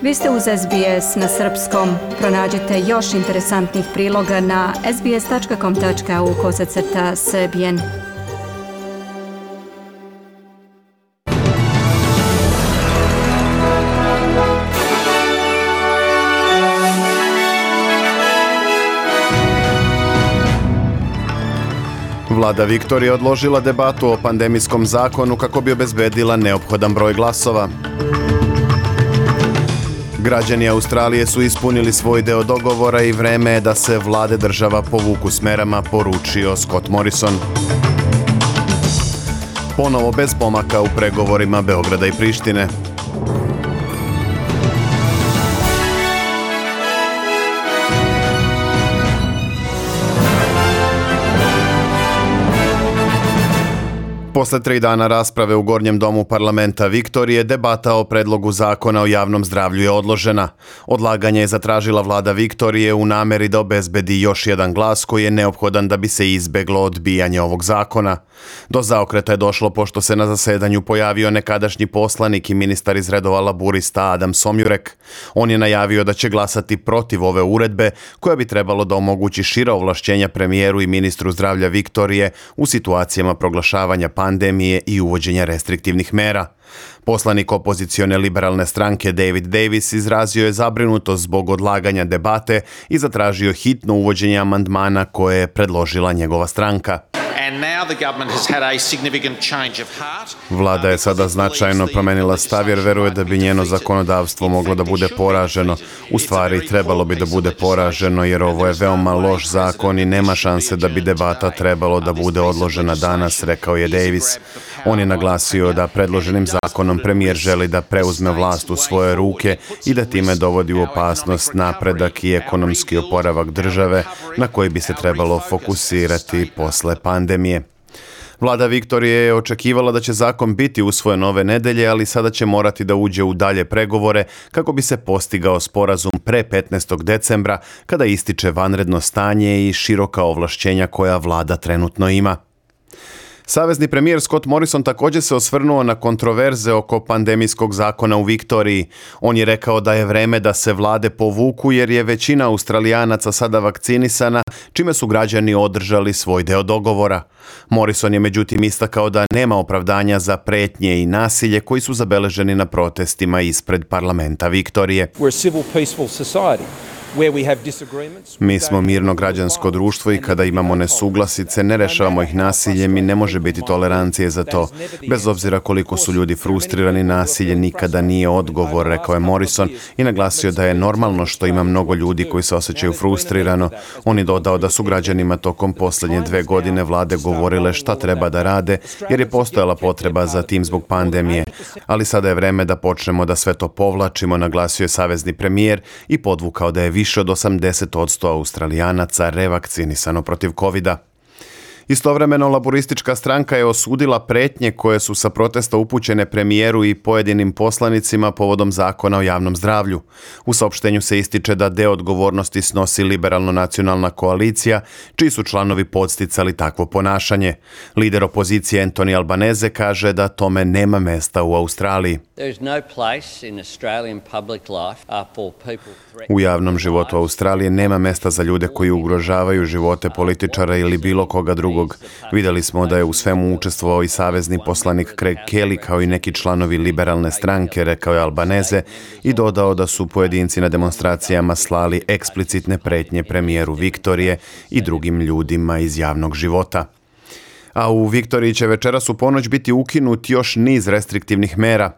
Vi ste uz SBS na srpskom. Pronađite još interesantnih priloga na sbs.com.au/srbijen. Vlada Viktorije odložila debatu o pandemijskom zakonu kako bi obezbedila neophodan broj glasova. Građani Australije su ispunili svoj deo dogovora i vreme je da se vlade država povuku s merama, poručio Scott Morrison. Ponovo bez pomaka u pregovorima Beograda i Prištine. Posle 3 dana rasprave u Gornjem domu parlamenta Viktorije, debata o predlogu zakona o javnom zdravlju je odložena. Odlaganje je zatražila vlada Viktorije u nameri da obezbedi još jedan glas koji je neophodan da bi se izbeglo odbijanje ovog zakona. Do zaokreta je došlo pošto se na zasedanju pojavio nekadašnji poslanik i ministar iz redova laburista Adam Somjurek. On je najavio da će glasati protiv ove uredbe koja bi trebalo da omogući šira ovlašćenja premijeru i ministru zdravlja Viktorije u situacijama proglašavanja pandemije i uvođenja restriktivnih mera. Poslanik opozicione liberalne stranke David Davis izrazio je zabrinutost zbog odlaganja debate i zatražio hitno uvođenje amandmana koje je predložila njegova stranka. Vlada je sada značajno promenila stav jer veruje da bi njeno zakonodavstvo moglo da bude poraženo. U stvari trebalo bi da bude poraženo jer ovo je veoma loš zakon i nema šanse da bi debata trebalo da bude odložena danas, rekao je Davis. On je naglasio da predloženim zakonom premijer želi da preuzme vlast u svoje ruke i da time dovodi u opasnost napredak i ekonomski oporavak države na koji bi se trebalo fokusirati posle pandemije. Vlada Viktorije je očekivala da će zakon biti usvojen ove nedelje, ali sada će morati da uđe u dalje pregovore kako bi se postigao sporazum pre 15. decembra kada ističe vanredno stanje i široka ovlašćenja koja vlada trenutno ima. Savezni premijer Scott Morrison također se osvrnuo na kontroverze oko pandemijskog zakona u Viktoriji. On je rekao da je vreme da se vlade povuku jer je većina Australijanaca sada vakcinisana, čime su građani održali svoj deo dogovora. Morrison je međutim istakao da nema opravdanja za pretnje i nasilje koji su zabeleženi na protestima ispred parlamenta Viktorije. Mi smo mirno građansko društvo i kada imamo nesuglasice, ne rešavamo ih nasiljem i ne može biti tolerancije za to. Bez obzira koliko su ljudi frustrirani, nasilje nikada nije odgovor, rekao je Morrison i naglasio da je normalno što ima mnogo ljudi koji se osjećaju frustrirano. On je dodao da su građanima tokom posljednje 2 godine vlade govorile šta treba da rade jer je postojala potreba za tim zbog pandemije. Ali sada je vreme da počnemo da sve to povlačimo, naglasio je savezni premijer i podvukao da je više od 80% Australijanaca revakcinisano protiv covida. Istovremeno, laburistička stranka je osudila pretnje koje su sa protesta upućene premijeru i pojedinim poslanicima povodom zakona o javnom zdravlju. U saopštenju se ističe da deo odgovornosti snosi liberalno-nacionalna koalicija, čiji su članovi podsticali takvo ponašanje. Lider opozicije Anthony Albanese kaže da tome nema mesta u Australiji. U javnom životu Australije nema mesta za ljude koji ugrožavaju živote političara ili bilo koga drugog. Vidjeli smo da je u svemu učestvovao i savezni poslanik Craig Kelly kao i neki članovi liberalne stranke, rekao je Albanese i dodao da su pojedinci na demonstracijama slali eksplicitne pretnje premijeru Viktorije i drugim ljudima iz javnog života. A u Viktoriji će večeras u ponoć biti ukinut još niz restriktivnih mera.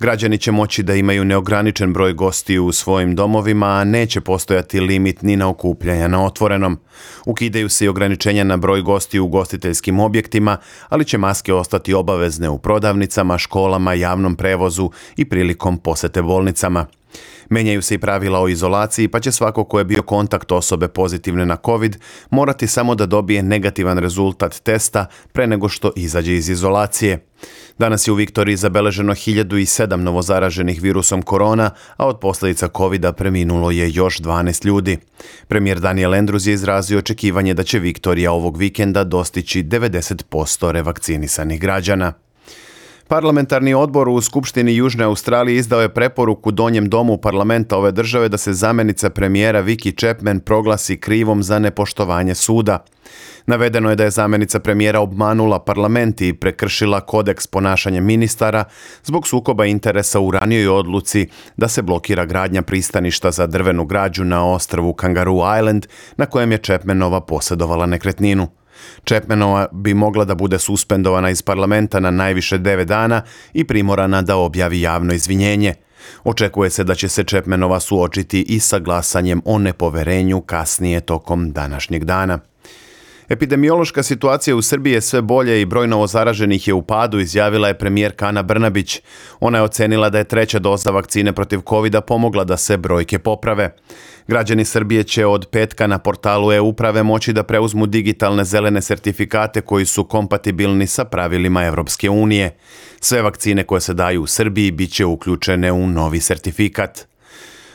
Građani će moći da imaju neograničen broj gostiju u svojim domovima, a neće postojati limit ni na okupljanja na otvorenom. Ukidaju se i ograničenja na broj gostiju u ugostiteljskim objektima, ali će maske ostati obavezne u prodavnicama, školama, javnom prevozu i prilikom posete bolnicama. Menjaju se i pravila o izolaciji, pa će svako ko je bio kontakt osobe pozitivne na COVID morati samo da dobije negativan rezultat testa pre nego što izađe iz izolacije. Danas je u Viktoriji zabeleženo 1007 novozaraženih virusom korona, a od posljedica COVID-a preminulo je još 12 ljudi. Premijer Daniel Andrews je izrazio očekivanje da će Viktorija ovog vikenda dostići 90% revakcinisanih građana. Parlamentarni odbor u Skupštini Južne Australije izdao je preporuku Donjem domu parlamenta ove države da se zamjenica premijera Vicky Chapman proglasi krivom za nepoštovanje suda. Navedeno je da je zamjenica premijera obmanula parlament i prekršila kodeks ponašanja ministara zbog sukoba interesa u ranijoj odluci da se blokira gradnja pristaništa za drvenu građu na ostrvu Kangaroo Island na kojem je Chapmanova posjedovala nekretninu. Chapmanova bi mogla da bude suspendovana iz parlamenta na najviše 9 dana i primorana da objavi javno izvinjenje. Očekuje se da će se Chapmanova suočiti i sa glasanjem o nepoverenju kasnije tokom današnjeg dana. Epidemiološka situacija u Srbiji je sve bolje i broj novozaraženih je u padu, izjavila je premijerka Ana Brnabić. Ona je ocenila da je 3. doza vakcine protiv covida pomogla da se brojke poprave. Građani Srbije će od petka na portalu e-uprave moći da preuzmu digitalne zelene sertifikate koji su kompatibilni sa pravilima Evropske unije. Sve vakcine koje se daju u Srbiji bit će uključene u novi sertifikat.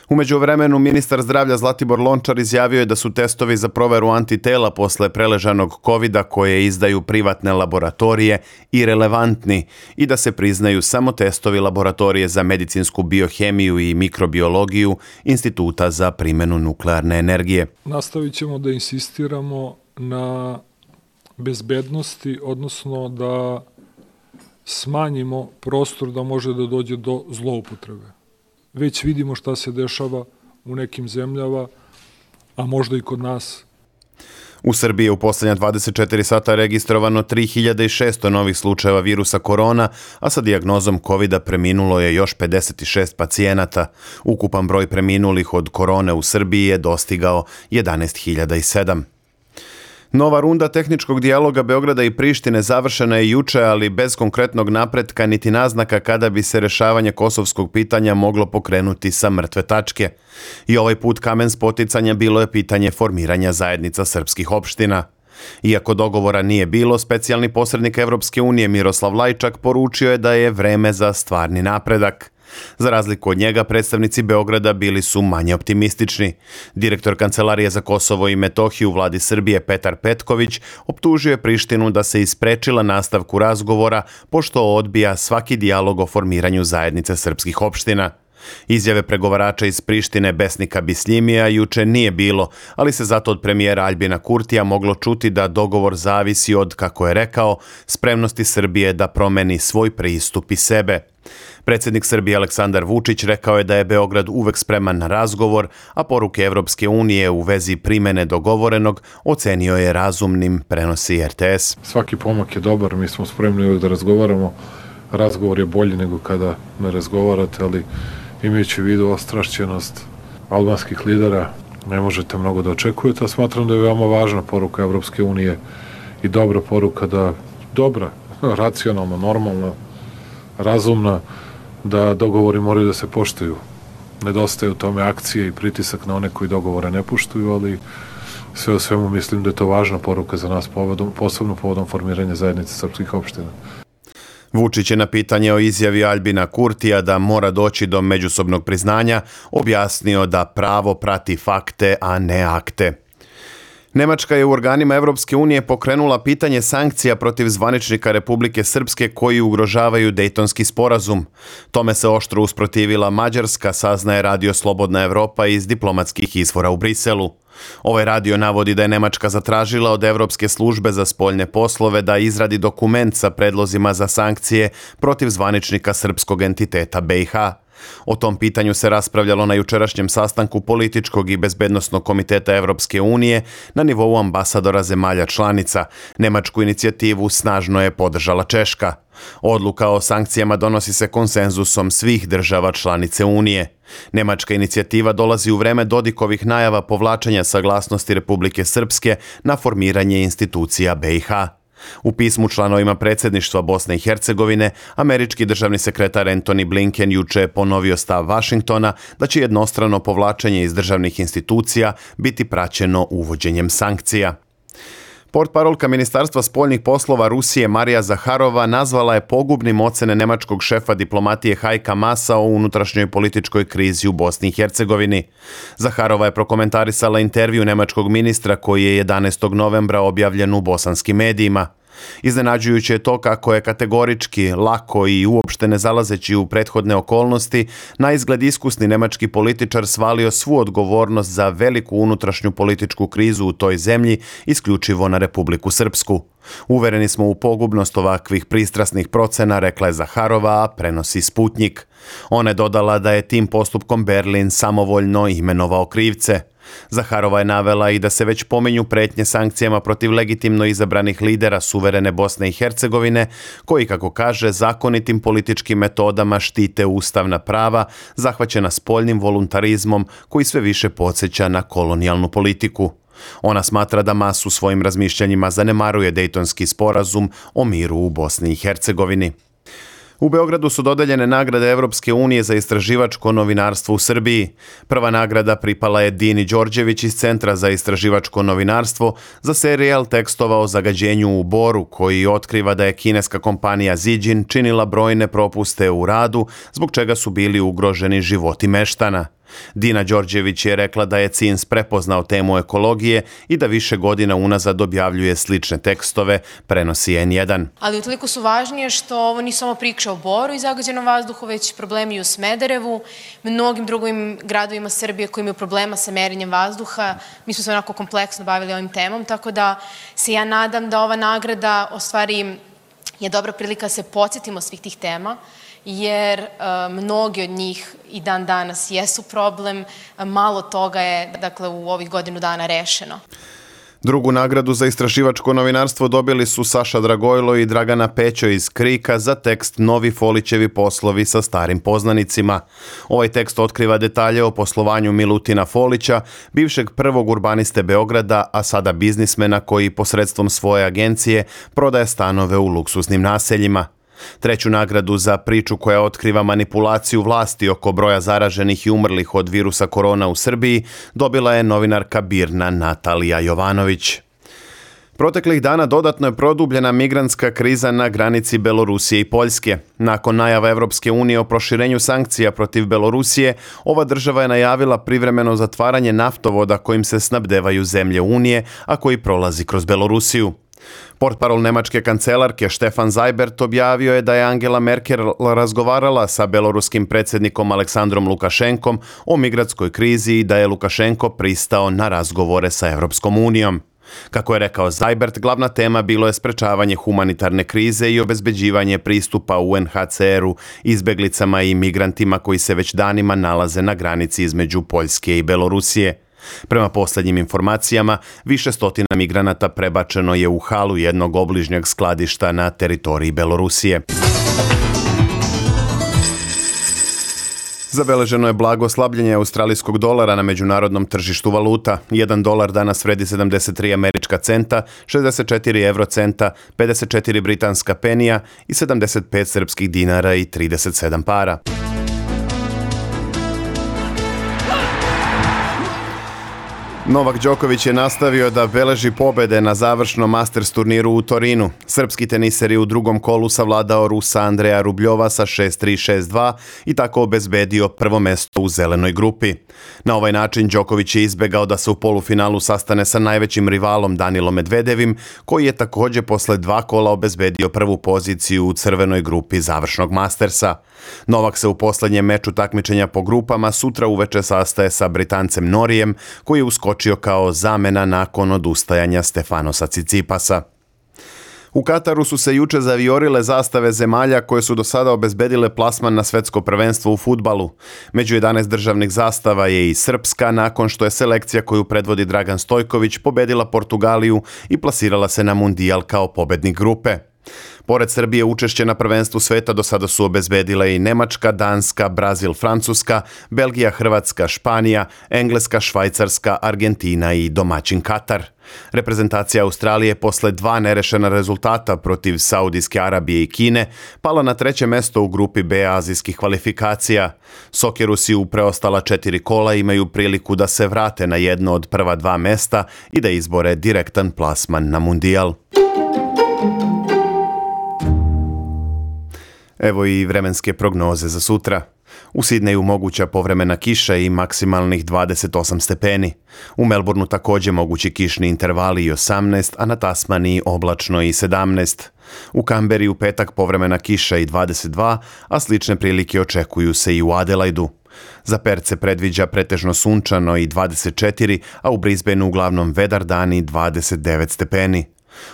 U međuvremenu, ministar zdravlja Zlatibor Lončar izjavio je da su testovi za proveru antitela posle preležanog covida koje izdaju privatne laboratorije irelevantni i da se priznaju samo testovi laboratorije za medicinsku biohemiju i mikrobiologiju Instituta za primjenu nuklearne energije. Nastavit ćemo da insistiramo na bezbednosti, odnosno da smanjimo prostor da može da dođe do zloupotrebe. Već vidimo šta se dešava u nekim zemljama, a možda i kod nas. U Srbiji je u posljednja 24 sata registrovano 3600 novih slučajeva virusa korona, a sa dijagnozom covida preminulo je još 56 pacijenata. Ukupan broj preminulih od korone u Srbiji je dostigao 11.007. Nova runda tehničkog dijaloga Beograda i Prištine završena je juče, ali bez konkretnog napretka niti naznaka kada bi se rešavanje kosovskog pitanja moglo pokrenuti sa mrtve tačke. I ovaj put kamen spoticanja bilo je pitanje formiranja zajednica srpskih opština. Iako dogovora nije bilo, specijalni posrednik Evropske unije Miroslav Lajčak poručio je da je vreme za stvarni napredak. Za razliku od njega, predstavnici Beograda bili su manje optimistični. Direktor Kancelarije za Kosovo i Metohiju u vladi Srbije Petar Petković optužio je Prištinu da se isprečila nastavku razgovora pošto odbija svaki dijalog o formiranju zajednice srpskih opština. Izjave pregovarača iz Prištine Besnika Bisljimija juče nije bilo, ali se zato od premijera Aljbina Kurtija moglo čuti da dogovor zavisi od, kako je rekao, spremnosti Srbije da promeni svoj pristup i sebe. Predsjednik Srbije Aleksandar Vučić rekao je da je Beograd uvek spreman na razgovor, a poruke Evropske unije u vezi primene dogovorenog ocenio je razumnim, prenosi RTS. Svaki pomak je dobar, mi smo spremni uvek da razgovaramo. Razgovor je bolji nego kada ne razgovarate, ali imajući u vidu ostrašćenost albanskih lidera, ne možete mnogo da očekujete, a smatram da je veoma važna poruka Evropske unije i dobra poruka racionalna, normalna, razumna, da dogovori moraju da se poštuju. Nedostaje u tome akcije i pritisak na one koji dogovore ne poštuju, ali sve u svemu mislim da je to važna poruka za nas, posebno povodom formiranja zajednice srpskih opština. Vučić je na pitanje o izjavi Aljbina Kurtija da mora doći do međusobnog priznanja objasnio da pravo prati fakte, a ne akte. Nemačka je u organima Evropske unije pokrenula pitanje sankcija protiv zvaničnika Republike Srpske koji ugrožavaju Dejtonski sporazum. Tome se oštro usprotivila Mađarska, saznaje Radio Slobodna Evropa iz diplomatskih izvora u Briselu. Ovaj radio navodi da je Nemačka zatražila od Evropske službe za spoljne poslove da izradi dokument sa predlozima za sankcije protiv zvaničnika srpskog entiteta BiH. O tom pitanju se raspravljalo na jučerašnjem sastanku političkog i bezbednosnog komiteta Evropske unije na nivou ambasadora zemalja članica. Nemačku inicijativu snažno je podržala Češka. Odluka o sankcijama donosi se konsenzusom svih država članice Unije. Nemačka inicijativa dolazi u vreme Dodikovih najava povlačenja saglasnosti Republike Srpske na formiranje institucija BiH. U pismu članovima predsjedništva Bosne i Hercegovine, američki državni sekretar Antony Blinken juče je ponovio stav Vašingtona da će jednostrano povlačenje iz državnih institucija biti praćeno uvođenjem sankcija. Portparolka Ministarstva spoljnih poslova Rusije Marija Zaharova nazvala je pogubnim ocene nemačkog šefa diplomatije Hajka Masa o unutrašnjoj političkoj krizi u Bosni i Hercegovini. Zaharova je prokomentarisala intervju nemačkog ministra koji je 11. novembra objavljen u bosanskim medijima. Iznenađujuće je to kako je kategorički, lako i uopšte ne zalazeći u prethodne okolnosti, na izgled iskusni nemački političar svalio svu odgovornost za veliku unutrašnju političku krizu u toj zemlji isključivo na Republiku Srpsku. Uvereni smo u pogubnost ovakvih pristrasnih procena, rekla je Zaharova, a prenosi Sputnjik. Ona je dodala da je tim postupkom Berlin samovoljno imenovao krivce. Zaharova je navela i da se već pominju pretnje sankcijama protiv legitimno izabranih lidera suverene Bosne i Hercegovine, koji, kako kaže, zakonitim političkim metodama štite ustavna prava, zahvaćena spoljnim voluntarizmom koji sve više podsjeća na kolonijalnu politiku. Ona smatra da masu svojim razmišljanjima zanemaruje Dejtonski sporazum o miru u Bosni i Hercegovini. U Beogradu su dodeljene nagrade Evropske unije za istraživačko novinarstvo u Srbiji. Prva nagrada pripala je Dini Đorđević iz Centra za istraživačko novinarstvo za serijal tekstova o zagađenju u Boru, koji otkriva da je kineska kompanija Zijin činila brojne propuste u radu, zbog čega su bili ugroženi životi meštana. Dina Đorđević je rekla da je CINS prepoznao temu ekologije i da više godina unazad objavljuje slične tekstove, prenosi N1. Ali utoliko su važnije što ovo nisu samo priče o Boru i zagađenom vazduhu, već problemi u Smederevu, mnogim drugim gradovima Srbije koji imaju problema sa merenjem vazduha. Mi smo se onako kompleksno bavili ovim temom, tako da se ja nadam da ova nagrada u stvari je dobra prilika da se podsjetimo svih tih tema, jer mnogi od njih i dan danas jesu problem, malo toga je u ovih godinu dana rešeno. Drugu nagradu za istraživačko novinarstvo dobili su Saša Dragojlo i Dragana Pećo iz Krika za tekst Novi Folićevi poslovi sa starim poznanicima. Ovaj tekst otkriva detalje o poslovanju Milutina Folića, bivšeg prvog urbaniste Beograda, a sada biznismena koji posredstvom svoje agencije prodaje stanove u luksuznim naseljima. Treću nagradu za priču koja otkriva manipulaciju vlasti oko broja zaraženih i umrlih od virusa korona u Srbiji dobila je novinarka BIRN-a Natalija Jovanović. Proteklih dana dodatno je produbljena migrantska kriza na granici Belorusije i Poljske. Nakon najava Evropske unije o proširenju sankcija protiv Belorusije, ova država je najavila privremeno zatvaranje naftovoda kojim se snabdevaju zemlje Unije, a koji prolazi kroz Belorusiju. Portparol nemačke kancelarke Stefan Seibert objavio je da je Angela Merkel razgovarala sa beloruskim predsjednikom Aleksandrom Lukašenkom o migrantskoj krizi i da je Lukašenko pristao na razgovore sa Evropskom unijom. Kako je rekao Seibert, glavna tema bilo je sprečavanje humanitarne krize i obezbeđivanje pristupa UNHCR-u izbeglicama i migrantima koji se već danima nalaze na granici između Poljske i Belorusije. Prema posljednjim informacijama, više stotina migranata prebačeno je u halu jednog obližnjeg skladišta na teritoriji Belorusije. Zabeleženo je blago slabljenje australijskog dolara na međunarodnom tržištu valuta. 1 dolar danas vredi 73 američka centa, 64 eurocenta, 54 britanska penija i 75 srpskih dinara i 37 para. Novak Đoković je nastavio da beleži pobede na završnom Masters turniru u Torinu. Srpski teniser je u drugom kolu savladao Rusa Andreja Rubljova sa 6-3, 6-2 i tako obezbedio prvo mesto u zelenoj grupi. Na ovaj način Đoković je izbegao da se u polufinalu sastane sa najvećim rivalom Danilom Medvedevim, koji je također posle 2 kola obezbedio prvu poziciju u crvenoj grupi završnog Mastersa. Novak se u posljednjem meču takmičenja po grupama sutra uveče sastaje sa Britancem Norijem, koji je uskočio kao zamena nakon odustajanja Stefanosa Cicipasa. U Kataru su se juče zaviorile zastave zemalja koje su do sada obezbedile plasman na svetsko prvenstvo u fudbalu. Među 11 državnih zastava je i srpska, nakon što je selekcija koju predvodi Dragan Stojković pobedila Portugaliju i plasirala se na mundijal kao pobednik grupe. Pored Srbije učešće na prvenstvu sveta do sada su obezbedile i Nemačka, Danska, Brazil, Francuska, Belgija, Hrvatska, Španija, Engleska, Švajcarska, Argentina i domaćin Katar. Reprezentacija Australije posle 2 nerešena rezultata protiv Saudijske Arabije i Kine pala na 3. mesto u grupi B azijskih kvalifikacija. Sokerusi u preostala 4 kola imaju priliku da se vrate na jedno od prva 2 mesta i da izbore direktan plasman na mundijal. Evo i vremenske prognoze za sutra. U Sidneju moguća povremena kiša i maksimalnih 28 stepeni. U Melbourneu također mogući kišni intervali i 18, a na Tasmaniji oblačno i 17. U Kamberi u petak povremena kiša i 22, a slične prilike očekuju se i u Adelaidu. Za Perth se predviđa pretežno sunčano i 24, a u Brisbaneu uglavnom vedar dan i 29 stepeni.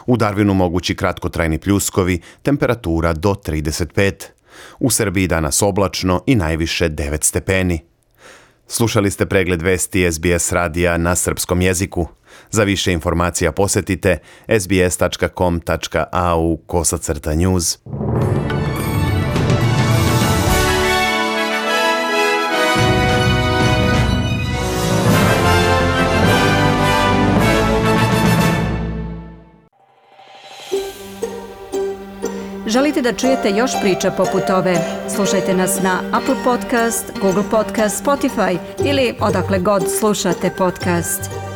U Darwinu mogući kratkotrajni pljuskovi, temperatura do 35. U Srbiji danas oblačno i najviše 9 stepeni. Slušali ste pregled vesti SBS radija na srpskom jeziku. Za više informacija posjetite sbs.com.au/news. Želite da čujete još priča poput ove? Slušajte nas na Apple Podcast, Google Podcast, Spotify ili odakle god slušate podcast.